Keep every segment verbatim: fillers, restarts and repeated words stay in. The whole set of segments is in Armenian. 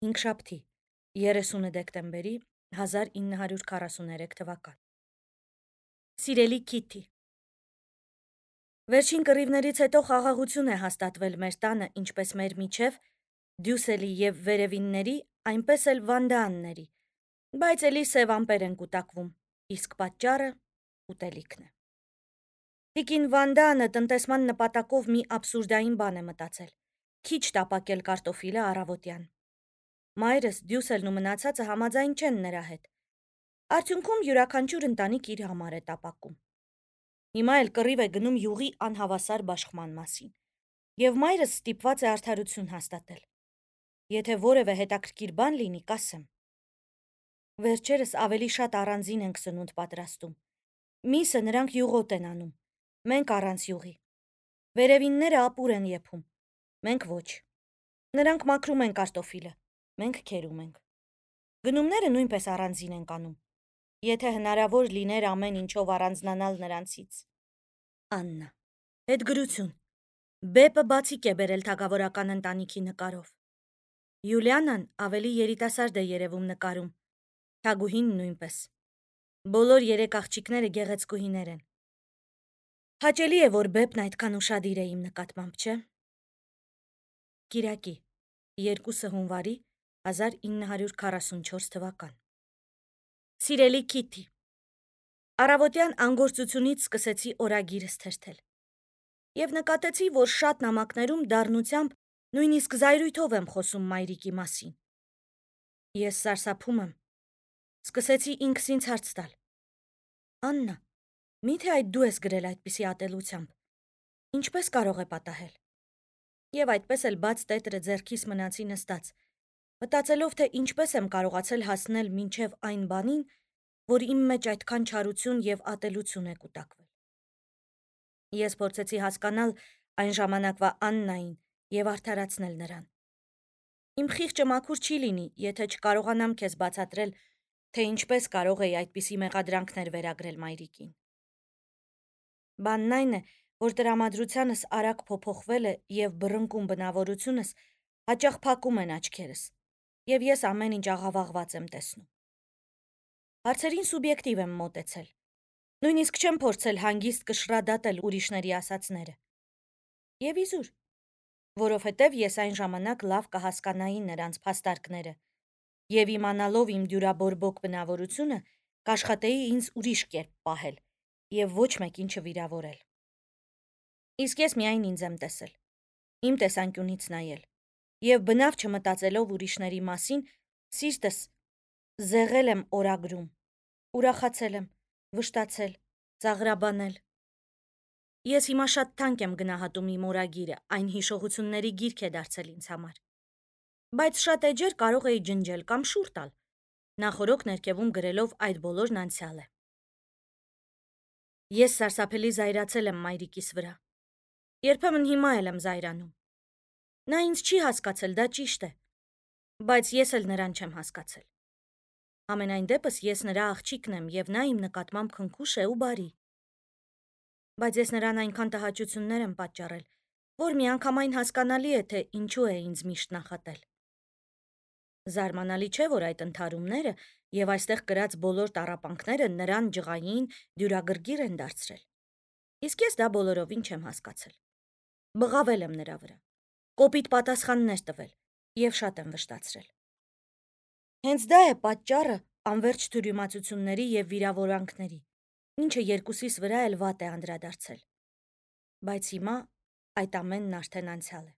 Հինգշաբթի, երեսունը դեկտեմբերի հազար ինը հարյուր քառասուներեք թվական։ Սիրելի Քիթի, վերջին կռիվներից հետո խաղաղություն է հաստատվել մեր տանը ինչպես մեր միջև, Դյուսելի և վերևինների, այնպես էլ Վանդաանների, բայց էլի սև ամպեր են կուտակվում, իսկ պատճառը ուտելիքն է։ Տիկին Վանդաանը տնտեսման նպատակով մի աբսուրդային բան է մտածել՝ քիչ տապակել կարտոֆիլը առավոտյան։ Մայրս, Դյուսելն ու մնացածը համաձայն չեն նրա հետ։ Արդյունքում յուրաքանչյուր ընտանիք իր համար է տապակում։ Հիմա էլ կռիվ է գնում յուղի անհավասար բաշխման մասին։ Եվ մայրս ստիպված է արդարություն հաստատել։ Եթե որևէ հետաքրքիր բան լինի, կասեմ։ Վերջերս ավելի շատ առանձին ենք սնունդ պատրաստում։ Միսը նրանք յուղոտ են անում, մենք առանց յուղի։ Վերևինները ապուր են եփում, մենք ոչ։ Նրանք մաքրում են կարտոֆիլը, մենք քերում ենք։ Գնումները նույնպես առանձին ենք անում, եթե հնարավոր լիներ ամեն ինչով առանձնանալ նրանցից։ Աննա, հետգրություն։ Բեպը բացիկ է բերել թագավորական ընտանիքի նկարով։ Յուլիանան ավելի երիտասարդ է երևում նկարում, Թագուհին նույնպես։ Բոլոր երեք աղջիկները գեղեցկուհիներ են։ Հաճելի է, որ Բեպն այդքան ուշադիր է իմ նկատմամբ, չէ՞։ Կիրակի, երկուսը հունվարի հազար ինը հարյուր քառասունչորս թվական։ Սիրելի Քիթի, առավոտյան անգործությունից սկսեցի օրագիրս թերթել և նկատեցի, որ շատ նամակներում դառնությամբ, նույնիսկ զայրույթով եմ խոսում մայրիկի մասին։ Ես սարսափում եմ, սկսեցի ինքս ինձ հարց տալ. Աննա, միթե այդ դու ես գրել այդպիսի ատելությամբ, ինչպես կարող է պատահել։ Եվ այդպես էլ բաց տետրը ձեռքիս մնացի նստած, մտածելով, թե ինչպես եմ կարողացել հասնել մինչև այն բանին, որ իմ մեջ այդքան չարություն և ատելություն է կուտակվել։ Ես փորձեցի հասկանալ այն ժամանակվա Աննային և արդարացնել նրան։ Իմ խիղճը մաքուր չի լինի, եթե չկարողանամ քեզ բացատրել, թե ինչպես կարող էի այդպիսի մեղադրանքներ վերագրել մայրիկին։ Բանն այն է, որ տրամադրությանս արագ փոփոխվել է և բռնկուն բնավորությունս հաճախ փակում են աչքերս, և ես ամեն ինչ աղավաղված եմ տեսնում։ Հարցերին սուբյեկտիվ եմ մոտեցել, նույնիսկ չեմ փորձել հանգիստ կշռադատել ուրիշների ասածները։ Եվ իզուր, որովհետև ես այն ժամանակ լավ կհասկանայի նրանց փաստարկները, և իմանալով իմ դյուրաբորբոք բնավորությունը, կաշխատեի ինձ ուրիշ կերպ պահել և ոչ մեկին չվիրավորել։ Իսկ ես միայն ինձ եմ տեսել, իմ տեսանկյունից նայել, և բնավ չմտածելով ուրիշների մասին, սիրտս զեղել եմ օրագրում, ուրախացել եմ, վշտացել, ծաղրաբանել։ Ես հիմա շատ թանկ եմ գնահատում իմ օրագիրը, այն հիշողությունների գիրք է դարձել ինձ համար։ Բայց շատ էջեր կարող էի ջնջել կամ շուռ տալ, նախօրոք ներքևում գրելով այդ բոլորն անցյալ է։ Ես սարսափելի զայրացել եմ մայրիկիս վրա։ Երբեմն հիմա էլ եմ զայրանում։ Նա ինձ չի հասկացել, դա ճիշտ է, բայց ես էլ նրան չեմ հասկացել։ Համենայն դեպս ես նրա աղջիկն եմ, և նա իմ նկատմամբ քնքուշ է ու բարի։ Բայց ես նրան այնքան տհաճություններ եմ պատճառել, որ միանգամայն հասկանալի է, թե ինչու է ինձ միշտ նախատել։ Զարմանալի չէ, որ այդ ընդհարումները և այստեղ կրած բոլոր տառապանքները նրան ջղային, դյուրագրգիռ են դարձրել։ Իսկ ես դա բոլորովին չեմ հասկացել։ Բղավել եմ նրա վրա, կոպիտ պատասխաններ տվել և շատ եմ վշտացրել։ Հենց դա է պատճառը անվերջ թյուրիմացությունների և վիրավորանքների, ինչը երկուսիս վրա էլ վատ է անդրադարձել։ Բայց հիմա այդ ամենն արդեն անցյալ է։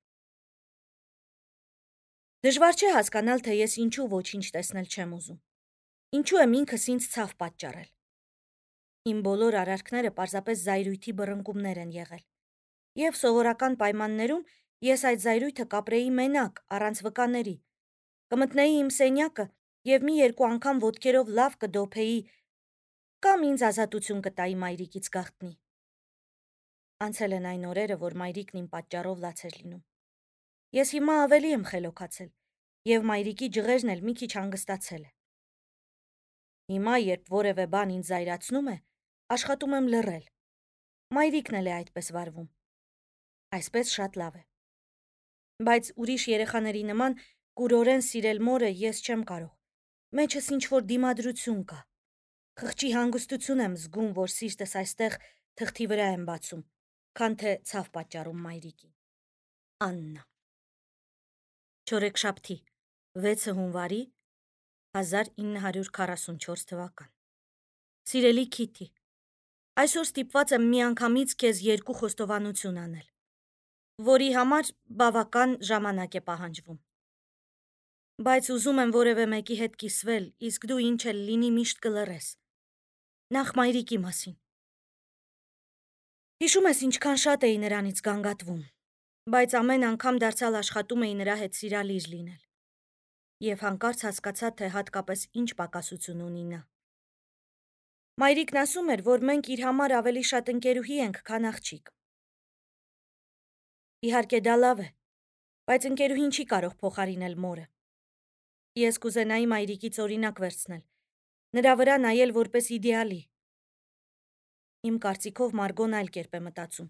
Դժվար չէ հասկանալ, թե ես ինչու ոչինչ տեսնել չեմ ուզում։ Ինչու եմ ինքս ինձ ցավ պատճառել։ Իմ բոլոր արարքները պարզապես զայրույթի բռնկումներ են եղել։ Եվ սովորական պայմաններում ես այդ զայրույթը կապրեի մենակ, առանց վկաների, կմտնեի իմ սենյակը և մի երկու անգամ ոտքերով լավ կդոփեի կամ ինձ ազատություն կտայի մայրիկից գաղտնի։ Անցել են այն օրերը, որ մայրիկն իմ պատճառով լաց էր լինում։ Ես հիմա ավելի եմ խելոքացել, և մայրիկի ջղերն էլ մի քիչ հանգստացել է։ Հիմա, երբ որևէ բան ինձ զայրացնում է, աշխատում եմ լռել։ Մայրիկն էլ է այդպես վարվում։ Այսպես շատ լավ է։ Բայց ուրիշ երեխաների նման կուրորեն սիրել մորը ես չեմ կարող։ Մեջս ինչ-որ դիմադրություն կա։ Խղճի հանգստություն եմ զգում, որ սիրտս այստեղ թղթի վրա եմ բացում, քան թե ցավ պատճառում մայրիկին։ Աննա։ Չորեքշաբթի, վեցը հունվարի հազար ինը հարյուր քառասունչորս թվական։ Սիրելի Քիթի, այսօր ստիպված եմ միանգամից քեզ երկու խոստովանություն անել, որի համար բավական ժամանակ է պահանջվում։ Բայց ուզում եմ որևէ մեկի հետ կիսվել, իսկ դու ինչ էլ լինի միշտ կլռես։ Նախ մայրիկի մասին։ Հիշում ես ինչքան շատ էի նրանից գանգատվում, բայց ամեն անգամ դարձյալ աշխատում էի նրա հետ սիրալիր լինել։ Եվ հանկարծ հասկացա, թե հատկապես ինչ պակասություն ունի նա։ Մայրիկն ասում էր, որ մենք իր համար ավելի շատ ընկերուհի ենք, քան աղջիկ։ Իհարկե դա լավ է, բայց ընկերուհին չի կարող փոխարինել մորը։ Ես կուզենայի մայրիկից օրինակ վերցնել, նրա վրա նայել որպես իդեալի։ Իմ կարծիքով Մարգոն այլ կերպ է մտածում,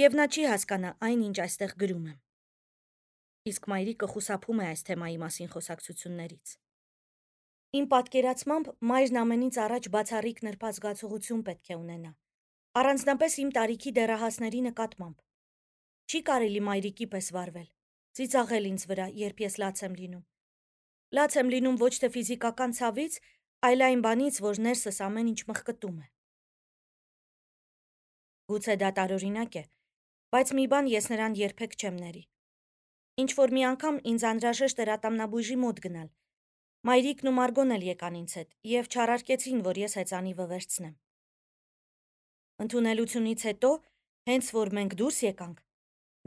եւ նա չի հասկանա այն, ինչ այստեղ գրում եմ։ Իսկ մայրիկը խուսափում է այս թեմայի մասին խոսակցություններից։ Իմ պատկերացմամբ մայրն ամենից առաջ բացառիկ նրբած զգացողություն պետք է ունենա, առանձնապես իմ տարիքի դեռահասների նկատմամբ։ Չի կարելի մայրիկի պես վարվել, ծիծաղել ինձ վրա, երբ ես լաց եմ լինում։ Լաց եմ լինում ոչ թե ֆիզիկական ցավից, այլ այն բանից, որ ներսս ամեն ինչ մխկտում է։ Գուցե դա տարօրինակ է, բայց մի բան ես նրան երբեք չեմ ների։ Ինչ որ մի անգամ ինձ անհրաժեշտ էր ատամնաբույժի մոտ գնալ։ Մայրիկն ու Մարգոն էլ եկան ինձ հետ եւ չարարկեցին, որ ես հեծանիվը վերցնեմ։ Ընդունելությունից հետո, հենց որ մենք դուրս եկանք,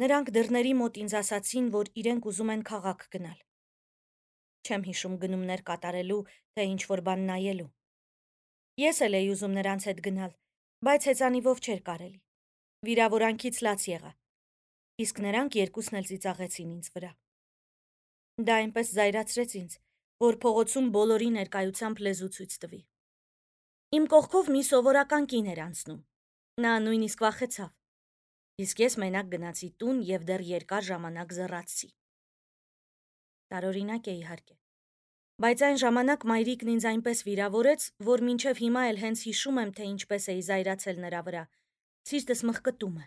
նրանք դռների մոտ ինձ ասացին, որ իրենք ուզում են քաղաք գնալ։ Չեմ հիշում գնումներ կատարելու, թե ինչ որ բան նայելու։ Ես էլ էի ուզում նրանց հետ գնալ, բայց հեծանիվով չէր կարելի։ Վիրավորանքից լաց եղա։ Իսկ նրանք երկուսն էլ ծիծաղեցին ինձ վրա։ Դա այնպես զայրացրեց ինձ, որ փողոցում բոլորի ներկայությամբ լեզու ցույց տվի։ Իմ կողքով մի սովորական կին էր անցնում։ Նա նույնիսկ վախեցավ։ Իսկ ես մենակ գնացի տուն եւ դեռ երկար ժամանակ զռացի։ Տարօրինակ է իհարկե։ Բայց այն ժամանակ մայրիկն ինձ այնպես վիրավորեց, որ մինչև հիմա էլ հենց հիշում եմ, թե ինչպես էի զայրացել նրա վրա։ Սիրտս մխկտում է։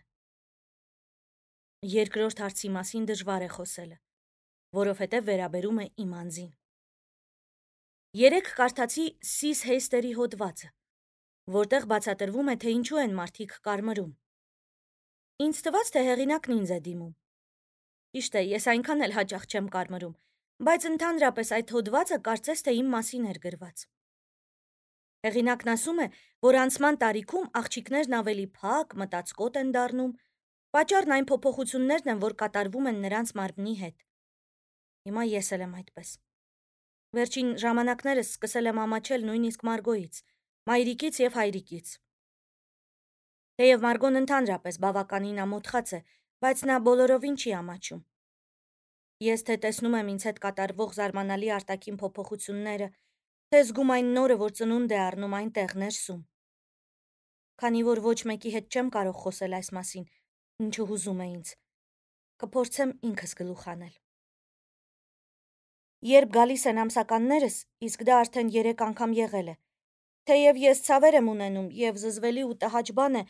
Երկրորդ հարցի մասին դժվար է խոսելը, որովհետև վերաբերում է իմ անձին։ Երեք կարդացի Սիս Հեյստերի հոդվածը, որտեղ բացատրվում է, թե ինչու են մարդիկ կարմրում։ Ինձ թվաց, թե հեղինակն ինձ է դիմում։ Ճիշտ է, ես այնքան էլ հաճախ չեմ կարմրում, բայց ընդհանրապես այդ հոդվածը կարծես թե իմ մասին էր գրված։ Հեղինակն ասում է, որ անցման տարիքում աղջիկներն ավելի փակ, մտածկոտ են դառնում, պատճառն այն փոփոխություններն են, որ կատարվում են նրանց մարմնի հետ։ Հիմա ես էլ եմ այդպես։ Վերջին ժամանակներս սկսել եմ ամաչել նույնիսկ Մարգոյից, մայրիկից եւ հայրիկից։ Թեև Մարգոն ընդհանրապես բավականին ամոթխած է, բայց նա բոլորովին չի ամաչում։ Ես թե տեսնում եմ ինձ հետ կատարվող զարմանալի արտաքին փոփոխությունները, թե զգում այն նորը, որ ծնունդ է առնում այնտեղ ներսում։ Քանի որ ոչ մեկի հետ չեմ կարող խոսել այս մասին, ինչը հուզում է ինձ, կփորձեմ ինքս գլուխ անել։ Երբ գալիս են ամսականներս, իսկ դա արդեն երեք անգամ եղել է, թեև ես ցավեր եմ ունենում եւ զզվելի ու տհաճ բան է,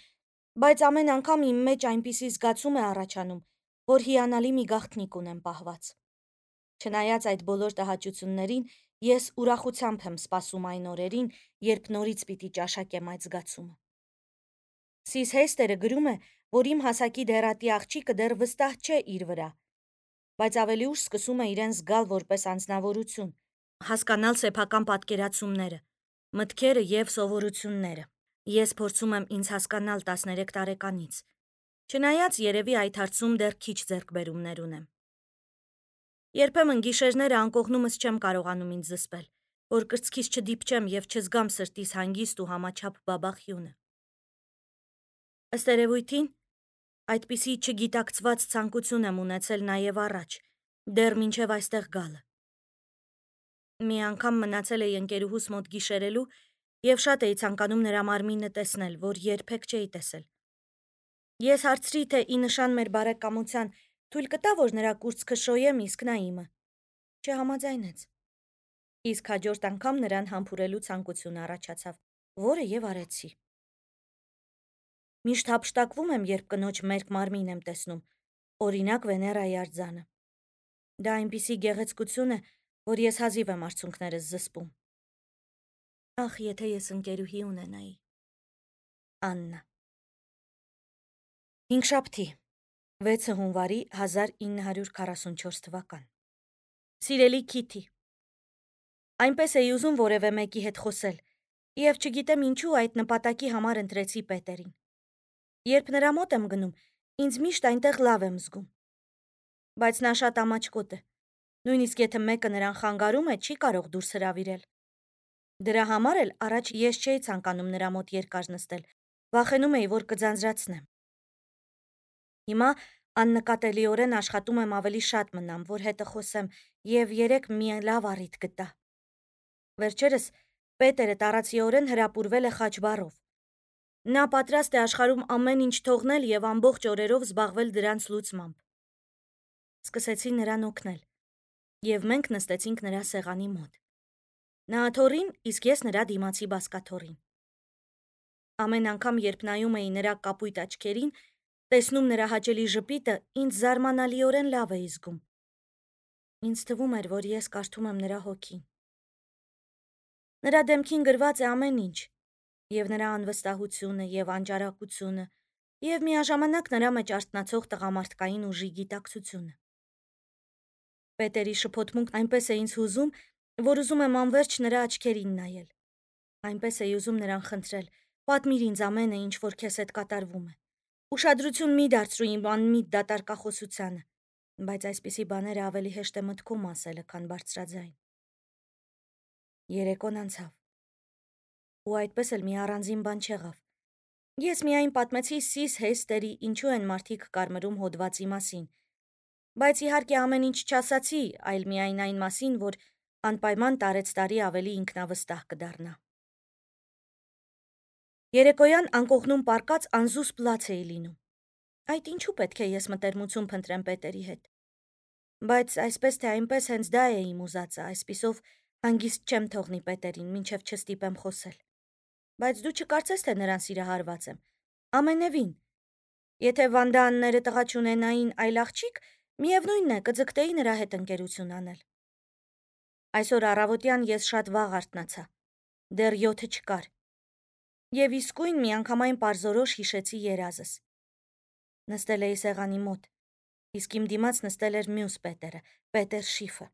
բայց ամեն անգամ իմ մեջ այնպիսի զգացում է առաջանում, որ հիանալի մի գաղտնիք ունեմ պահված։ Չնայած այդ բոլոր տհաճություններին, ես ուրախությամբ եմ սպասում այն օրերին, երբ նորից պիտի ճաշակեմ այդ զգացումը։ Սիս Հեյստերը գրում է, որ իմ հասակի դեռատի աղջիկը դեռ վստահ չէ իր վրա, բայց ավելի ուշ սկսում է իրեն զգալ որպես անձնավորություն, հասկանալ սեփական պատկերացումները, մտքերը եւ սովորությունները։ Ես փորձում եմ ինձ հասկանալ տասներեք տարեկանից, չնայած երևի այդ հարցում դեռ քիչ ձեռքբերումներ ունեմ։ Երբեմն գիշերները անկողնումս չեմ կարողանում ինձ զսպել, որ կրծքիս չդիպչեմ եւ չզգամ սրտիս հանգիստ ու համաչափ բաբախյունը։ Ըստ երևույթին, այդպիսի չգիտակցված ցանկություն եմ ունեցել նաեւ առաջ, դեռ մինչև այստեղ գալը։ Մի անգամ մնացել էի ընկերուհուս մոտ գիշերելու եւ շատ էի ցանկանում նրա մարմինը տեսնել, որ երբեք չէի տեսել։ Ես հարցրի, թե ի նշան մեր բարեկամության թույլ կտա, որ նրա կուրծքը շոյեմ, իսկ նա իմը։ չհամաձայնեց։ Իսկ հաջորդ անգամ նրան համբուրելու ցանկություն առաջացավ, որը եւ արեցի։ Միշտ հափշտակվում եմ, երբ կնոջ մերկ մարմին եմ տեսնում, օրինակ Վեներայի արձանը։ Դա այնպիսի գեղեցկություն է, որ ես հազիվ եմ արցունքներս զսպում։ Ախ, եթե ես ընկերուհի ունենայի։ Աննա։ Հինգշաբթի, վեցը հունվարի հազար ինը հարյուր քառասունչորս թվական։ Սիրելի Քիթի, այնպես էի ուզում որևէ մեկի հետ խոսել, եւ չգիտեմ ինչու այդ նպատակի համար ընտրեցի Պետերին։ Երբ նրա մոտ եմ գնում, ինձ միշտ այնտեղ լավ եմ զգում։ Բայց նա շատ ամաչկոտ է։ Նույնիսկ եթե մեկը նրան խանգարում է, չի կարող դուրս հրավիրել։ Դրա համար էլ առաջ ես չէի ցանկանում նրա մոտ երկար նստել, վախենում էի, որ կձանձրացնեմ։ Հիմա աննկատելիորեն աշխատում եմ ավելի շատ մնամ, որ հետը խոսեմ, եւ երեք մի լավ առիթ գտա։ Վերջերս Պետերը տառացիորեն հրապուրվել է խաչբառով։ Նա պատրաստ է աշխարհում ամեն ինչ թողնել եւ ամբողջ օրերով զբաղվել դրանց լուծմամբ։ Սկսեցի նրան օգնել, եւ մենք նստեցինք նրա սեղանի մոտ։ Նա աթոռին, իսկ ես նրա դիմացի բազկաթոռին։ Ամեն անգամ, երբ նայում էի նրա կապույտ աչքերին, տեսնում նրա հաճելի ժպիտը, ինձ զարմանալիորեն լավ էի զգում։ Ինձ թվում էր, որ ես կարդում եմ նրա հոգին։ Նրա դեմքին գրված է ամեն ինչ, եւ նրա անվստահությունը, եւ անճարակությունը, եւ միաժամանակ նրա մեջ արթնացող տղամարդկային ուժի գիտակցությունը։ Պետերի շփոթմունքն այնպես է ինձ հուզում, որ ուզում եմ անվերջ նրա աչքերին նայել։ Այնպես էի ուզում նրան խնդրել. պատմիր ինձ ամենը, ինչ որ քեզ հետ կատարվում է։ Ուշադրություն մի դարձրու իմ անմիտ դատարկախոսությանը, բայց այսպիսի բաները ավելի հեշտ է մտքում ասելը, քան բարձրաձայն։ Երեկոն անցավ։ Ու այդպես էլ մի առանձին բան չեղավ։ Ես միայն պատմեցի Սիս Հեյստերի ինչու են մարդիկ կարմրում հոդվածի մասին, բայց իհարկե ամեն ինչ չասացի, այլ միայն այն մասին, որ անպայման տարեց տարի ավելի ինքնավստահ կդառնա։ Երեկոյան անկողնում պառկած անզուսպ լաց էի լինում։ Այդ ինչու պետք է ես մտերմություն փնտրեմ Պետերի հետ։ Բայց այսպես թե այնպես հենց դա է իմ ուզածը, այսպիսով հանգիստ չեմ թողնի Պետերին, մինչև չստիպեմ խոսել։ Բայց դու չկարծես, թե նրան սիրահարված եմ։ Ամենևին։ Եթե Վանդաանները տղա չունենային այլ աղջիկ, միևնույնն է, կձգտեի նրա հետ ընկերություն անել։ Այսօր առավոտյան ես շատ վաղ արթնացա։ Դեռ յոթը չկար։ Եվ իսկույն միանգամայն պարզորոշ հիշեցի երազս։ Նստել էի սեղանի մոտ, իսկ իմ դիմաց նստել էր մյուս Պետերը, Պետեր Շիֆը։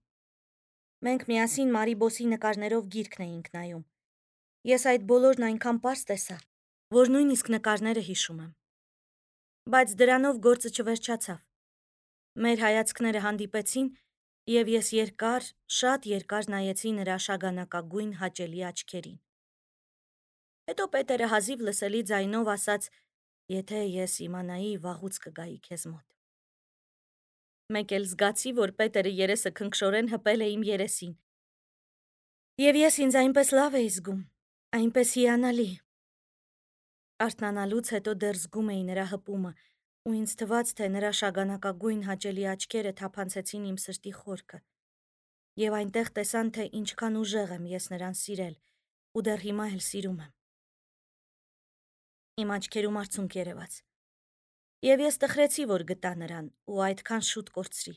Մենք միասին Մարիբոսի նկարներով գիրքն էինք նայում։ Ես այդ բոլորն այնքան պարզ տեսա, որ նույնիսկ նկարները հիշում եմ։ Բայց դրանով գործը չվերջացավ։ Մեր հայացքները հանդիպեցին, եւ ես երկար, շատ երկար նայեցի նրա շագանակագույն հաճելի աչքերին։ Հետո Պետերը հազիվ լսելի ձայնով ասաց. «Եթե ես իմանայի, վաղուց կգայի քեզ մոտ»։ Մեկ էլ զգացի, որ Պետերը երեսը քնքշորեն հպել է իմ երեսին։ Եվ ես ինձ այնպես լավ էի զգում, այնպես հիանալի։ Արթնանալուց հետո դեռ զգում էի նրա հպումը, ու ինձ թվաց, թե նրա շագանակագույն հաճելի աչքերը թափանցեցին իմ սրտի խորքը։ Եվ այնտեղ տեսան, թե ինչքան ուժեղ եմ ես նրան սիրել, ու դեռ հիմա էլ սիրում եմ։ Իմ աչքերում արցունք երևաց։ Եվ ես տխրեցի, որ գտա նրան, ու այդքան շուտ կորցրի։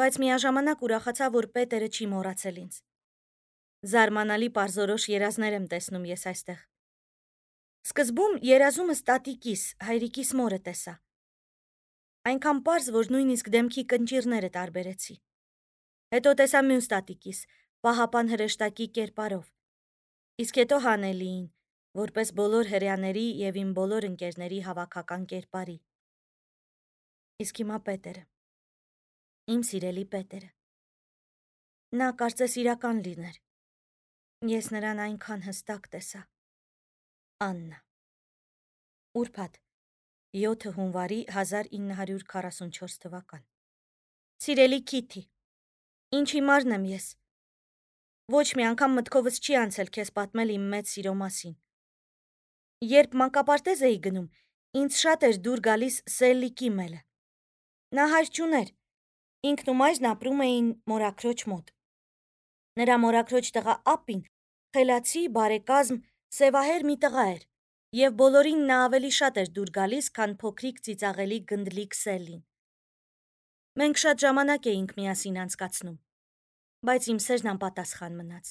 Բայց միաժամանակ ուրախացա, որ Պետերը չի մոռացել ինձ։ Զարմանալի պարզորոշ երազներ եմ տեսնում ես այստեղ։ Սկզբում երազումս տատիկիս, հայրիկիս մորը տեսա։ Այնքան պարզ, որ նույնիսկ դեմքի կնճիռները տարբերեցի։ Հետո տեսա մյուս տատիկիս, պահապան հրեշտակի կերպարով։ Իսկ հետո Հանելիին, որպես բոլոր հրեաների եւ իմ բոլոր ընկերների հավաքական կերպարի։ Իսկ հիմա Պետերը։ Իմ սիրելի Պետերը։ Նա կարծես իրական լիներ։ Ես նրան այնքան հստակ տեսա։ Աննա։ Ուրբաթ, յոթը հունվարի հազար ինը հարյուր քառասունչորս թվական։ Սիրելի Քիթի, ինչ հիմարն եմ ես։ Ոչ մի անգամ մտքովս չի անցել քեզ պատմել իմ մեծ սիրո մասին։ Երբ մանկապարտեզ էի գնում, ինձ շատ էր դուր գալիս Սելլի Կիմելը։ Նա հայր չուներ, Ինքն ու մայրն ապրում էին մորաքրոջ մոտ։ Նրա մորաքրոջ տղա Ապին խելացի, բարեկազմ, սևահեր մի տղա էր, և բոլորին նա ավելի շատ էր դուր գալիս, քան փոքրիկ ծիծաղելի գնդլիկ Սելլին։ Մենք շատ ժամանակ էինք միասին անցկացնում, բայց իմ սերն անպատասխան մնաց։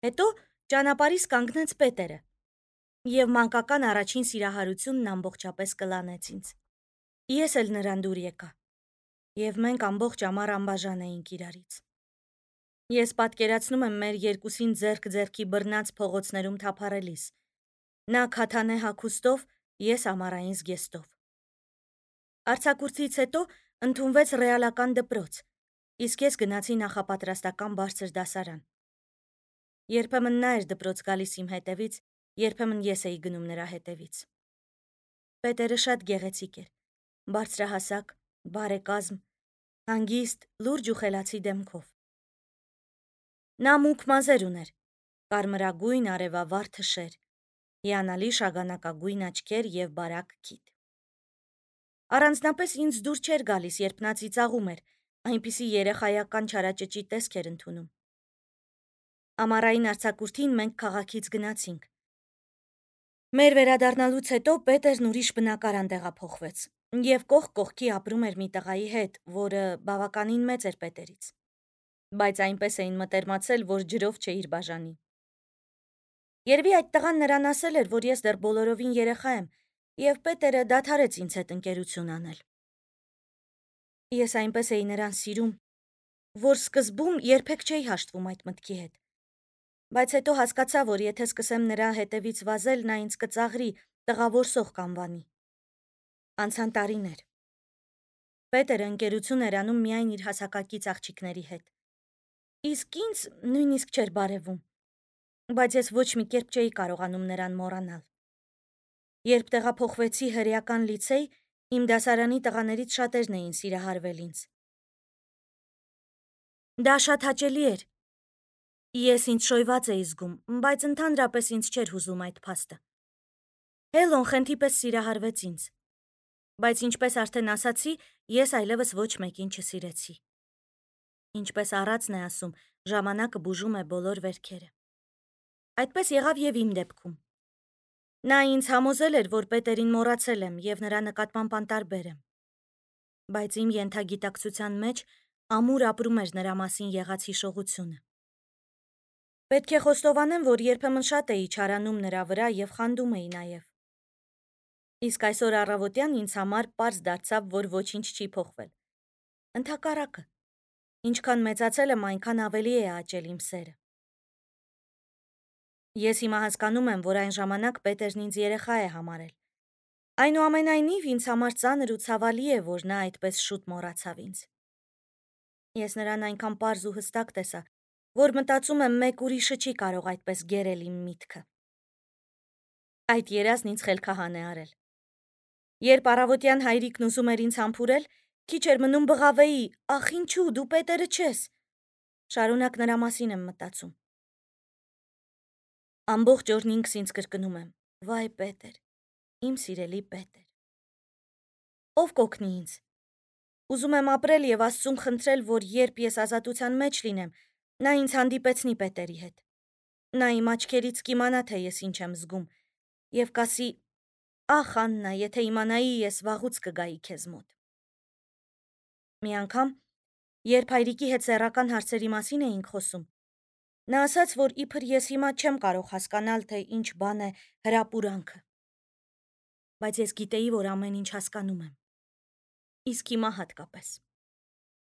Հետո ճանապարհիս կանգնեց Պետերը, և մանկական առաջին սիրահարությունն ամբողջապես կլանեց ինձ։ Ես էլ նրան դուր եկա, և մենք ամբողջ ամառ անբաժան էինք իրարից։ Ես պատկերացնում եմ մեր երկուսին ձեռք ձեռքի բռնած փողոցներում թափառելիս, նա քաթանե հագուստով, ես ամառային զգեստով։ Արձակուրդից հետո ընդունվեց ռեալական դպրոց, իսկ ես գնացի նախապատրաստական բարձր դասարան։ Երբեմն նա էր դպրոց գալիս իմ հետևից, երբեմն ես էի գնում նրա հետևից։ Պետերը շատ գեղեցիկ էր, բարձրահասակ, բարեկազմ, հանգիստ, լուրջ ու խելացի դեմքով։ Նա մուգ մազեր ուներ, կարմրագույն արևավառ թշեր, հիանալի շագանակագույն աչքեր և բարակ քիթ։ Առանձնապես ինձ դուր չէր գալիս, երբ նա ծիծաղում էր, այնպիսի երեխայական չարաճճի տեսք էր ընդունում։ Ամառային արձակուրդին մենք քաղաքից գնացինք։ Մեր վերադառնալուց հետո Պետերն ուրիշ բնակարան տեղափոխվեց և կողք կողքի ապրում էր մի տղայի հետ, որը բավականին մեծ էր Պետերից, բայց այնպես էին մտերմացել, որ ջրով չէիր բաժանի։ Երևի այդ տղան նրան ասել էր, որ ես դեռ բոլորովին երեխա եմ, և Պետերը դադարեց ինձ հետ ընկերություն անել։ Ես այնպես էի նրան սիրում, որ սկզբում երբեք չէի հաշտվում այդ մտքի հետ, բայց հետո հասկացա, որ եթե սկսեմ նրա հետևից վազել, նա ինձ կծաղրի, տղավորսող կանվանի։ Անցան տարիներ։ Պետերը ընկերություն էր անում միայն իր հասակակից աղջիկների հետ։ Իսկ ինձ նույնիսկ չէր բարևում, բայց ես ոչ մի կերպ չէի կարողանում նրան մոռանալ։ Երբ տեղափոխվեցի հրեական լիցեյ, իմ դասարանի տղաներից շատերն էին սիրահարվել ինձ։ Դա շատ հաճելի էր։ Ես ինձ շոյված էի զգում, բայց ընդհանրապես ինձ չէր հուզում այդ փաստը։ Հելոն խենթի պես սիրահարվեց ինձ, բայց ինչպես արդեն ասացի, ես այլևս ոչ մեկին չսիրեցի։ Ինչպես առածն է ասում, ժամանակը բուժում է բոլոր վերքերը։ Այդպես եղավ և իմ դեպքում։ Նա ինձ համոզել էր, որ Պետերին մոռացել եմ և նրա նկատմամբ անտարբեր եմ։ Բայց իմ ենթագիտակցության մեջ ամուր ապրում էր նրա մասին եղած հիշողությունը։ Պետք է խոստովանեմ, որ երբեմն շատ էի չարանում նրա վրա և խանդում էի նաև։ Իսկ այսօր առավոտյան ինձ համար պարզ դարձավ, որ ոչինչ չի փոխվել։ Ընդհակառակը, ինչքան մեծացել եմ, այնքան ավելի է աճել իմ սերը։ Ես հիմա հասկանում եմ, որ այն ժամանակ Պետերն ինձ երեխա է համարել։ Այնուամենայնիվ, ինձ համար ծանր ու ցավալի է, որ նա այդպես շուտ մոռացավ ինձ։ Ես նրան այնքան պարզ ու հստակ տեսա, որ մտածում եմ, մեկ ուրիշը չի կարող այդպես գերել իմ միտքը։ Այդ երազն ինձ խելքահան է արել։ Երբ առավոտյան հայրիկն ուզում էր ինձ համբուրել, քիչ էր մնում բղավեի. «Ախ, ինչու, դու Պետերը չես»։ Շարունակ նրա մասին եմ մտածում։ Ամբողջ օրն ինքս ինձ կրկնում եմ. «Վայ Պետեր, իմ սիրելի Պետեր»։ Ով կօգնի ինձ։ Ուզում եմ ապրել և Աստծուն խնդրել, որ երբ ես ազատության մեջ լինեմ, նա ինձ հանդիպեցնի Պետերի հետ։ Նա իմ աչքերից կիմանա, թե ես ինչ եմ զգում, և կասի. «Ախ, Աննա, եթե իմանայի, ես վաղուց կգայի քեզ մոտ»։ Մի անգամ, երբ հայրիկի հետ սեռական հարցերի մասին էինք խոսում, նա ասաց, որ իբր ես հիմա չեմ կարող հասկանալ, թե ինչ բան է հրապուրանքը։ Բայց ես գիտեի, որ ամեն ինչ հասկանում եմ։ Իսկ հիմա հատկապես։